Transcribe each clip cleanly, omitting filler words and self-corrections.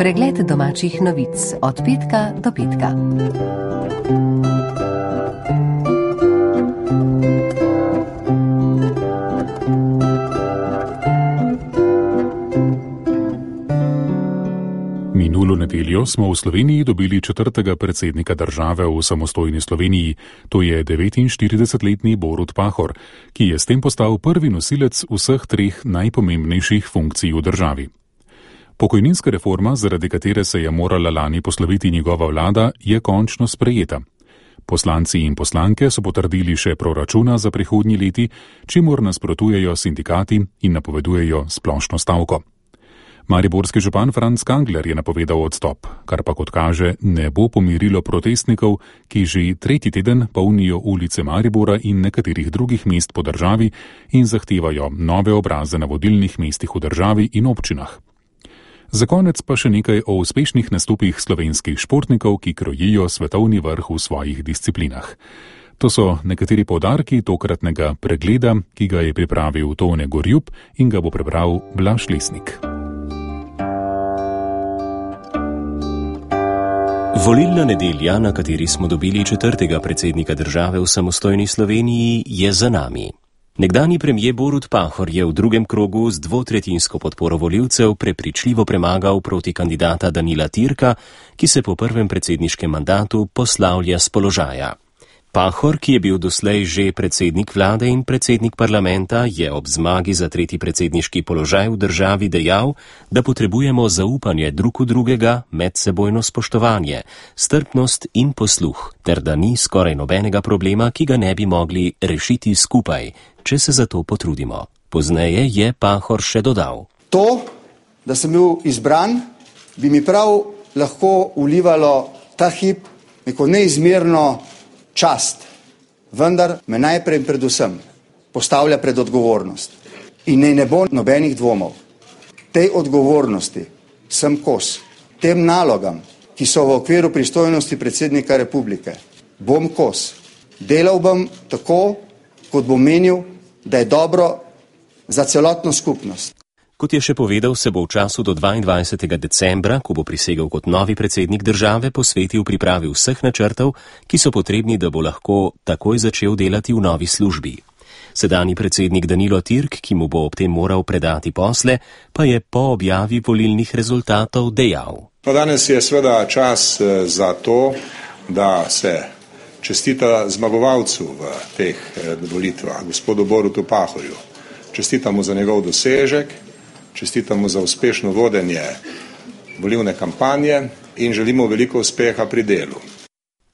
Pregled domačih novic od petka do petka. Minulo nedeljo smo v Sloveniji dobili 4. predsednika države v samostojni Sloveniji, to je 49-letni Borut Pahor, ki je s tem postal prvi nosilec vseh 3 najpomembnejših funkcij v državi. Pokojninska reforma, zaradi katere se je morala lani posloviti njegova vlada, je končno sprejeta. Poslanci in poslanke so potrdili še proračuna za prihodnji leti, čemur nasprotujejo sindikati in napovedujejo splošno stavko. Mariborski župan Franc Kangler je napovedal odstop, kar pa kot kaže ne bo pomirilo protestnikov, ki že 3. teden polnijo ulice Maribora in nekaterih drugih mest po državi in zahtevajo nove obraze na vodilnih mestih v državi in občinah. Za konec pa še nekaj o uspešnih nastopih slovenskih športnikov, ki krojijo svetovni vrh v svojih disciplinah. To so nekateri poudarki tokratnega pregleda, ki ga je pripravil Tone Gorjup in ga bo prebral Blaž Lesnik. Volilna nedelja, na kateri smo dobili 4. predsednika države v samostojni Sloveniji, je za nami. Nekdanji premier Borut Pahor je v drugem krogu z 2/3 podporo volivcev prepričljivo premagal proti kandidata Danila Türka, ki se po prvem predsedniškem mandatu poslavlja s položaja. Pahor, ki je bil doslej že predsednik vlade in predsednik parlamenta, je ob zmagi za 3. predsedniški položaj v državi dejal, da potrebujemo zaupanje drug v drugega, medsebojno spoštovanje, strpnost in posluh, ter da ni skoraj nobenega problema, ki ga ne bi mogli rešiti skupaj, če se za to potrudimo. Pozneje je Pahor še dodal. To, da sem bil izbran, bi mi prav lahko vlivalo ta hip neko neizmerno čast, vendar me najprej predvsem postavlja pred odgovornost. In ne bo nobenih dvomov. Tej odgovornosti sem kos. Tem nalogam, ki so v okviru pristojnosti predsednika republike, bom kos. Delal bom tako, kot bom menil, da je dobro za celotno skupnost. Kot je še povedal, se bo v času do 22. decembra, ko bo prisegel kot novi predsednik države, posvetil pripravi vseh načrtov, ki so potrebni, da bo lahko takoj začel delati v novi službi. Sedanji predsednik Danilo Türk, ki mu bo ob tem moral predati posle, pa je po objavi volilnih rezultatov dejal. Danes je seveda čas za to, da se čestita zmagovalcu v teh volitvah, gospodu Borutu Pahorju. Čestitamo za njegov dosežek, čestitamo za uspešno vodenje volilne kampanje in želimo veliko uspeha pri delu.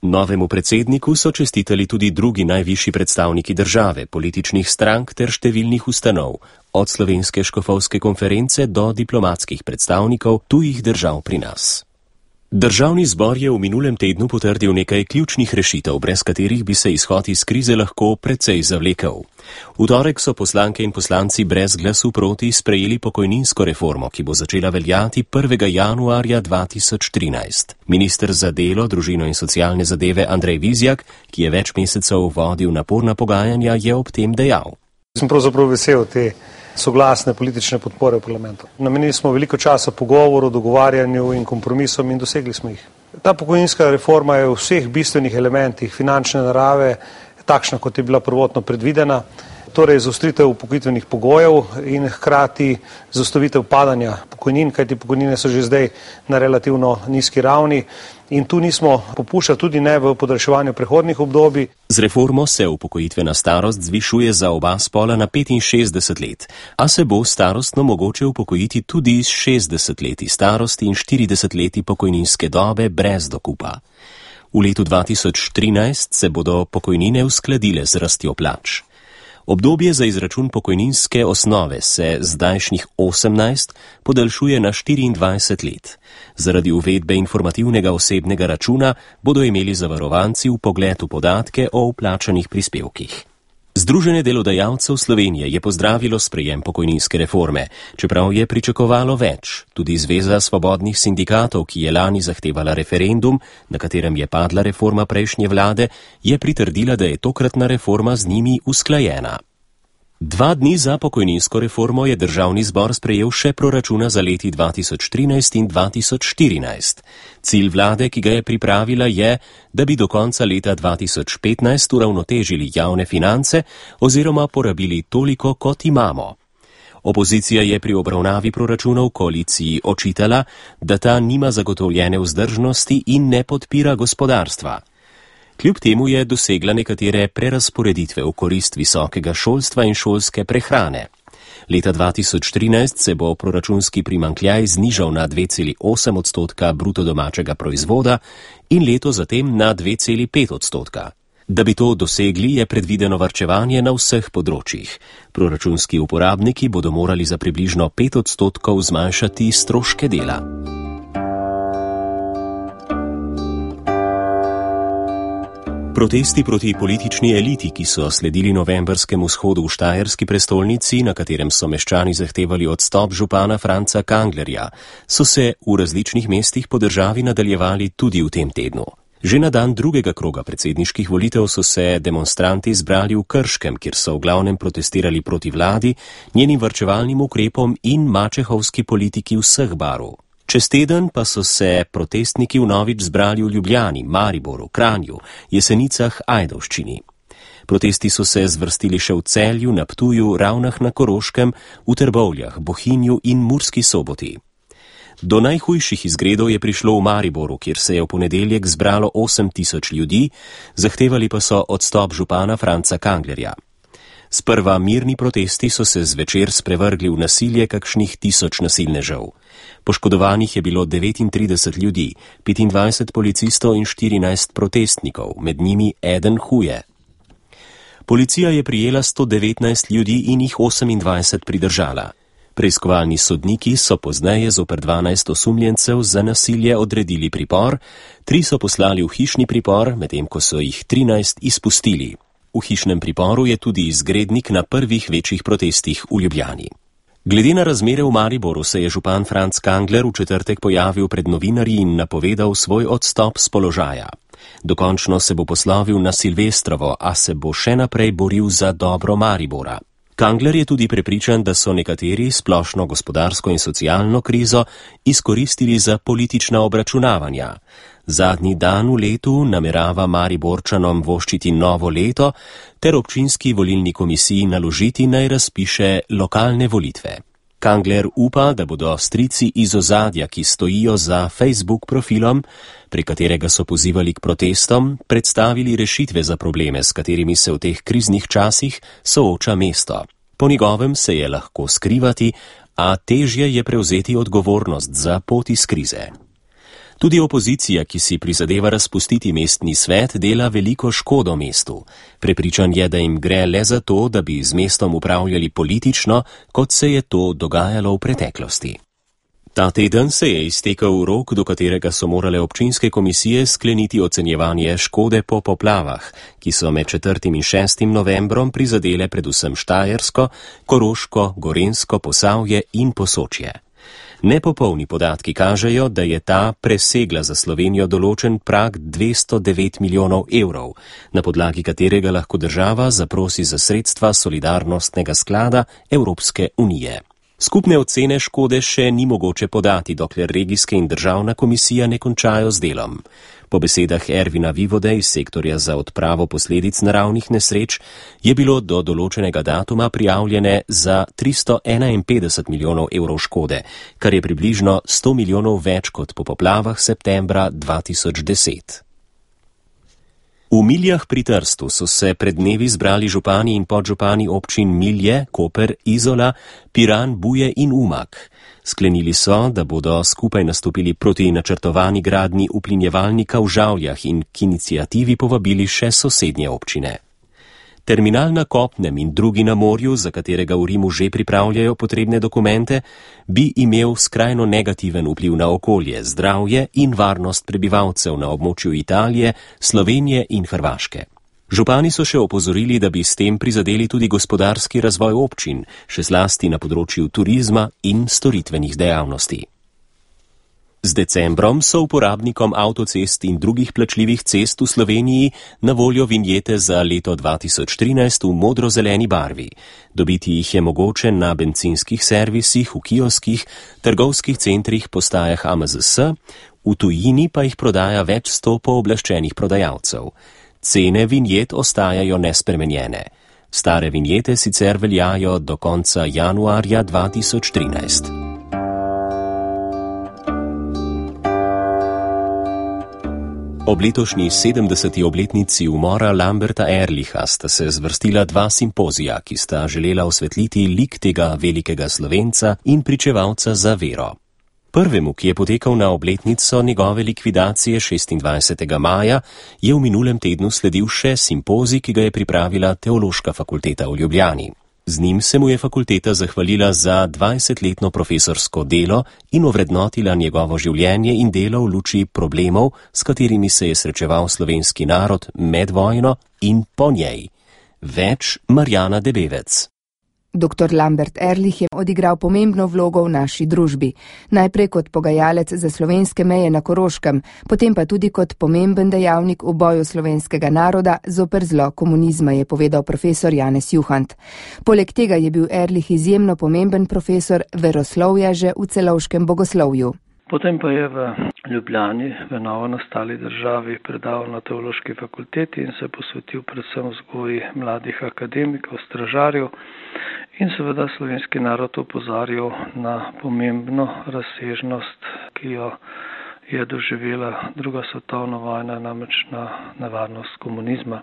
Novemu predsedniku so čestitali tudi drugi najvišji predstavniki države, političnih strank ter številnih ustanov, od Slovenske škofovske konference do diplomatskih predstavnikov tujih držav pri nas. Državni zbor je v minulem tednu potrdil nekaj ključnih rešitev, brez katerih bi se izhod iz krize lahko precej zavlekel. V torek so poslanke in poslanci brez glasu proti sprejeli pokojninsko reformo, ki bo začela veljati 1. januarja 2013. Minister za delo, družino in socialne zadeve Andrej Vizjak, ki je več mesecev vodil naporna pogajanja, je ob tem dejal. Sem pravzaprav vesel te soglasne politične podpore v parlamentu. Namenili smo veliko časa pogovoru, dogovarjanju in kompromisom in dosegli smo jih. Ta pokojninska reforma je v vseh bistvenih elementih finančne narave takšna, kot je bila prvotno predvidena, torej zaostritev upokojitvenih pogojev in hkrati zaustavitev padanja pokojnin, kajti pokojnine so že zdaj na relativno nizki ravni in tu nismo popuščali tudi ne v podaljševanju prehodnih obdobij. Z reformo se upokojitvena starost zvišuje za oba spola na 65 let, a se bo starostno mogoče upokojiti tudi z 60 leti starosti in 40 leti pokojninske dobe brez dokupa. V letu 2013 se bodo pokojnine uskladile z rastjo plač. Obdobje za izračun pokojninske osnove se zdajšnjih 18 podaljšuje na 24 let. Zaradi uvedbe informativnega osebnega računa bodo imeli zavarovanci vpogled v podatke o vplačanih prispevkih. Združenje delodajalcev Slovenije je pozdravilo sprejem pokojninske reforme, čeprav je pričakovalo več. Tudi Zveza svobodnih sindikatov, ki je lani zahtevala referendum, na katerem je padla reforma prejšnje vlade, je pritrdila, da je tokratna reforma z njimi usklajena. 2 dni za pokojninsko reformo je državni zbor sprejel še proračuna za leti 2013 in 2014. Cilj vlade, ki ga je pripravila, je, da bi do konca leta 2015 uravnotežili javne finance oziroma porabili toliko, kot imamo. Opozicija je pri obravnavi proračunov koaliciji očitala, da ta nima zagotovljene vzdržnosti in ne podpira gospodarstva. Kljub temu je dosegla nekatere prerazporeditve v korist visokega šolstva in šolske prehrane. Leta 2013 se bo proračunski primanjkljaj znižal na 2,8% bruto domačega proizvoda in leto zatem na 2,5%. Da bi to dosegli, je predvideno varčevanje na vseh področjih. Proračunski uporabniki bodo morali za približno 5% zmanjšati stroške dela. Protesti proti politični eliti, ki so sledili novembrskemu shodu v štajerski prestolnici, na katerem so meščani zahtevali odstop župana Franca Kanglerja, so se v različnih mestih po državi nadaljevali tudi v tem tednu. Že na dan drugega kroga predsedniških volitev so se demonstranti zbrali v Krškem, kjer so v glavnem protestirali proti vladi, njenim varčevalnim ukrepom in mačehovski politiki vseh barv. Čez teden pa so se protestniki vnovič zbrali v Ljubljani, Mariboru, Kranju, Jesenicah, Ajdovščini. Protesti so se zvrstili še v Celju, na Ptuju, Ravnah na Koroškem, v Trbovljah, Bohinju in Murski Soboti. Do najhujših izgredov je prišlo v Mariboru, kjer se je v ponedeljek zbralo 8.000 ljudi, zahtevali pa so odstop župana Franca Kanglerja. Sprva mirni protesti so se zvečer sprevrgli v nasilje kakšnih 1000 nasilnežev. Poškodovanih je bilo 39 ljudi, 25 policistov in 14 protestnikov, med njimi eden huje. Policija je prijela 119 ljudi in jih 28 pridržala. Preiskovalni sodniki so pozneje zoper 12 osumljencev za nasilje odredili pripor, 3 so poslali v hišni pripor, medtem ko so jih 13 izpustili. V hišnem priporu je tudi izgrednik na prvih večjih protestih v Ljubljani. Glede na razmere v Mariboru se je župan Franc Kangler v četrtek pojavil pred novinarji in napovedal svoj odstop z položaja. Dokončno se bo poslovil na Silvestrovo, a se bo še naprej boril za dobro Maribora. Kangler je tudi prepričan, da so nekateri splošno gospodarsko in socialno krizo izkoristili za politična obračunavanja. Zadnji dan v letu namerava Mariborčanom voščiti novo leto ter občinski volilni komisiji naložiti naj razpiše lokalne volitve. Kangler upa, da bodo strici iz ozadja, ki stojijo za Facebook profilom, pri katerega so pozivali k protestom, predstavili rešitve za probleme, s katerimi se v teh kriznih časih sooča mesto. Po njegovem se je lahko skrivati, a težje je prevzeti odgovornost za pot iz krize. Tudi opozicija, ki si prizadeva razpustiti mestni svet, dela veliko škodo mestu. Prepričan je, da jim gre le za to, da bi z mestom upravljali politično, kot se je to dogajalo v preteklosti. Ta teden se je iztekel rok, do katerega so morale občinske komisije skleniti ocenjevanje škode po poplavah, ki so med 4. in 6. novembrom prizadele predvsem Štajersko, Koroško, Gorenjsko, Posavje in Posočje. Nepopolni podatki kažejo, da je ta presegla za Slovenijo določen prag 209 milijonov evrov, na podlagi katerega lahko država zaprosi za sredstva solidarnostnega sklada Evropske unije. Skupne ocene škode še ni mogoče podati, dokler regijske in državna komisija ne končajo z delom. Po besedah Ervina Vivode iz sektorja za odpravo posledic naravnih nesreč je bilo do določenega datuma prijavljene za 351 milijonov evrov škode, kar je približno 100 milijonov več kot po poplavah septembra 2010. V Miljah pri Trstu so se pred dnevi zbrali župani in podžupani občin Milje, Koper, Izola, Piran, Buje in Umag. Sklenili so, da bodo skupaj nastopili proti načrtovani gradnji uplinjevalnika v Žavljah in k iniciativi povabili še sosednje občine. Terminal na kopnem in drugi na morju, za katerega v Rimu že pripravljajo potrebne dokumente, bi imel skrajno negativen vpliv na okolje, zdravje in varnost prebivalcev na območju Italije, Slovenije in Hrvaške. Župani so še opozorili, da bi s tem prizadeli tudi gospodarski razvoj občin, še zlasti na področju turizma in storitvenih dejavnosti. Z decembrom so uporabnikom avtocest in drugih plačljivih cest v Sloveniji na voljo vinjete za leto 2013 v modro-zeleni barvi. Dobiti jih je mogoče na bencinskih servisih, v kioskih, trgovskih centrih, postajah AMZS, v tujini pa jih prodaja več 100 pooblaščenih prodajalcev. Cene vinjet ostajajo nespremenjene. Stare vinjete sicer veljajo do konca januarja 2013. Ob letošnji 70. obletnici umora Lamberta Ehrlicha sta se zvrstila dva simpozija, ki sta želela osvetliti lik tega velikega Slovenca in pričevalca za vero. Prvemu, ki je potekal na obletnico njegove likvidacije 26. maja, je v minulem tednu sledil še simpozij, ki ga je pripravila Teološka fakulteta v Ljubljani. Z njim se mu je fakulteta zahvalila za 20-letno profesorsko delo in ovrednotila njegovo življenje in delo v luči problemov, s katerimi se je srečeval slovenski narod med vojno in po njej. Več Marjana Debevec. Dr. Lambert Ehrlich je odigral pomembno vlogo v naši družbi. Najprej kot pogajalec za slovenske meje na Koroškem, potem pa tudi kot pomemben dejavnik v boju slovenskega naroda zoper zlo komunizma, je povedal profesor Janez Juhant. Poleg tega je bil Ehrlich izjemno pomemben profesor veroslovja že v celovškem bogoslovju. Potem pa je v Ljubljani, v novo nastali državi, predaval na Teološki fakulteti in se posvetil predvsem vzgoji mladih akademikov, stražarjev in seveda slovenski narod opozarjal na pomembno razsežnost, ki jo je doživela druga svetovna vojna, namreč na nevarnost komunizma.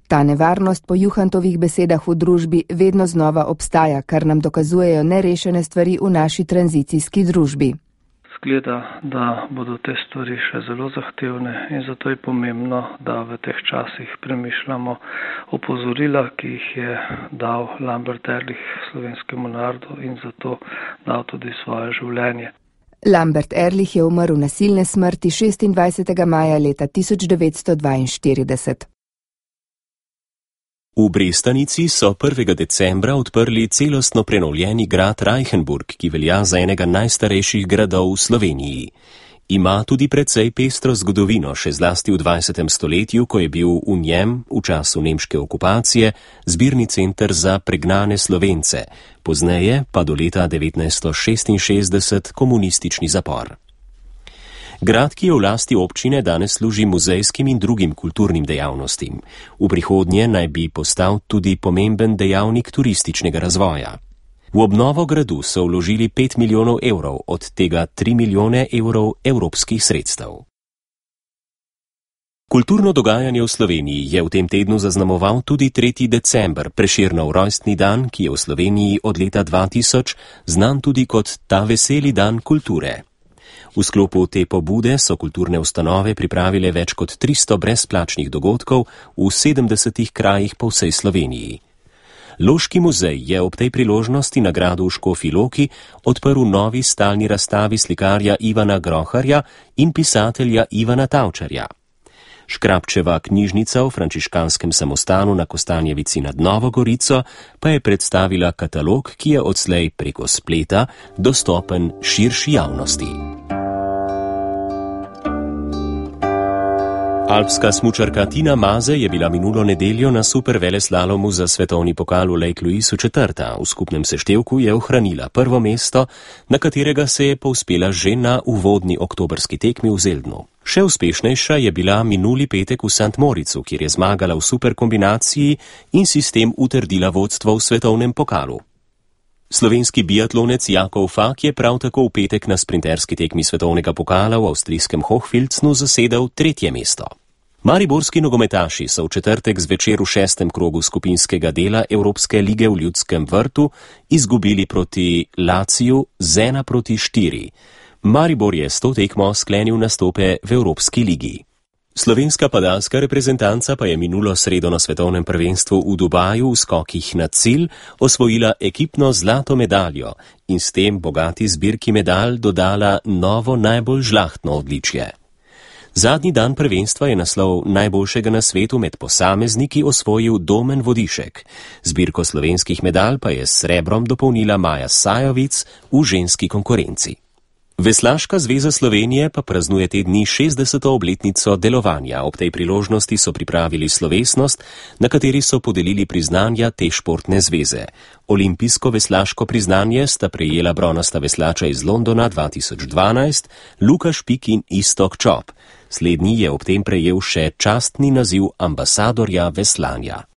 Ta nevarnost po Juhantovih besedah v družbi vedno znova obstaja, kar nam dokazujejo nerešene stvari v naši tranzicijski družbi. Zgleda, da bodo te stvari še zelo zahtevne in zato je pomembno, da v teh časih premišljamo opozorila, ki jih je dal Lambert Ehrlich slovenskemu narodu in zato dal tudi svoje življenje. Lambert Ehrlich je umrl nasilne smrti 26. maja leta 1942. V Brestanici so 1. decembra odprli celostno prenovljeni grad Reichenburg, ki velja za enega najstarejših gradov v Sloveniji. Ima tudi precej pestro zgodovino, še zlasti v 20. stoletju, ko je bil v njem, v času nemške okupacije, zbirni center za pregnane Slovence, pozneje pa do leta 1966 komunistični zapor. Grad, ki je v lasti občine, danes služi muzejskim in drugim kulturnim dejavnostim. V prihodnje naj bi postal tudi pomemben dejavnik turističnega razvoja. V obnovo gradu so vložili 5 milijonov evrov, od tega 3 milijone evrov evropskih sredstev. Kulturno dogajanje v Sloveniji je v tem tednu zaznamoval tudi 3. december, Prešernov rojstni dan, ki je v Sloveniji od leta 2000 znan tudi kot ta veseli dan kulture. V sklopu te pobude so kulturne ustanove pripravile več kot 300 brezplačnih dogodkov v 70 krajih po vsej Sloveniji. Loški muzej je ob tej priložnosti na gradu v Škofji Loki odprl novi stalni razstavi slikarja Ivana Groharja in pisatelja Ivana Tavčarja. Škrabčeva knjižnica v frančiškanskem samostanu na Kostanjevici nad Novo Gorico pa je predstavila katalog, ki je odslej preko spleta dostopen širši javnosti. Alpska smučarka Tina Maze je bila minulo nedeljo na superveleslalomu za svetovni pokal v Lake Louisu četrta. V skupnem seštevku je ohranila prvo mesto, na katerega se je povzpela že na uvodni oktobrski tekmi v Zeldnu. Še uspešnejša je bila minuli petek v St. Moricu, kjer je zmagala v superkombinaciji in si s tem utrdila vodstvo v svetovnem pokalu. Slovenski biatlonec Jakov Fak je prav tako v petek na sprinterski tekmi svetovnega pokala v avstrijskem Hochfilznu zasedel 3. mesto. Mariborski nogometaši so v četrtek zvečer v 6. krogu skupinskega dela Evropske lige v Ljudskem vrtu izgubili proti Laciju z 1-4. Maribor je s to tekmo sklenil nastope v Evropski ligi. Slovenska padalska reprezentanca pa je minulo sredo na svetovnem prvenstvu v Dubaju v skokih na cilj osvojila ekipno zlato medaljo in s tem bogati zbirki medalj dodala novo najbolj žlahtno odličje. Zadnji dan prvenstva je naslov najboljšega na svetu med posamezniki osvojil Domen Vodišek. Zbirko slovenskih medalj pa je s srebrom dopolnila Maja Sajovic v ženski konkurenci. Veslaška zveza Slovenije pa praznuje te dni 60. obletnico delovanja. Ob tej priložnosti so pripravili slovesnost, na kateri so podelili priznanja te športne zveze. Olimpijsko veslaško priznanje sta prejela bronasta veslača iz Londona 2012, Luka Špik in Iztok Čop. Slednji je ob tem prejel še častni naziv ambasadorja veslanja.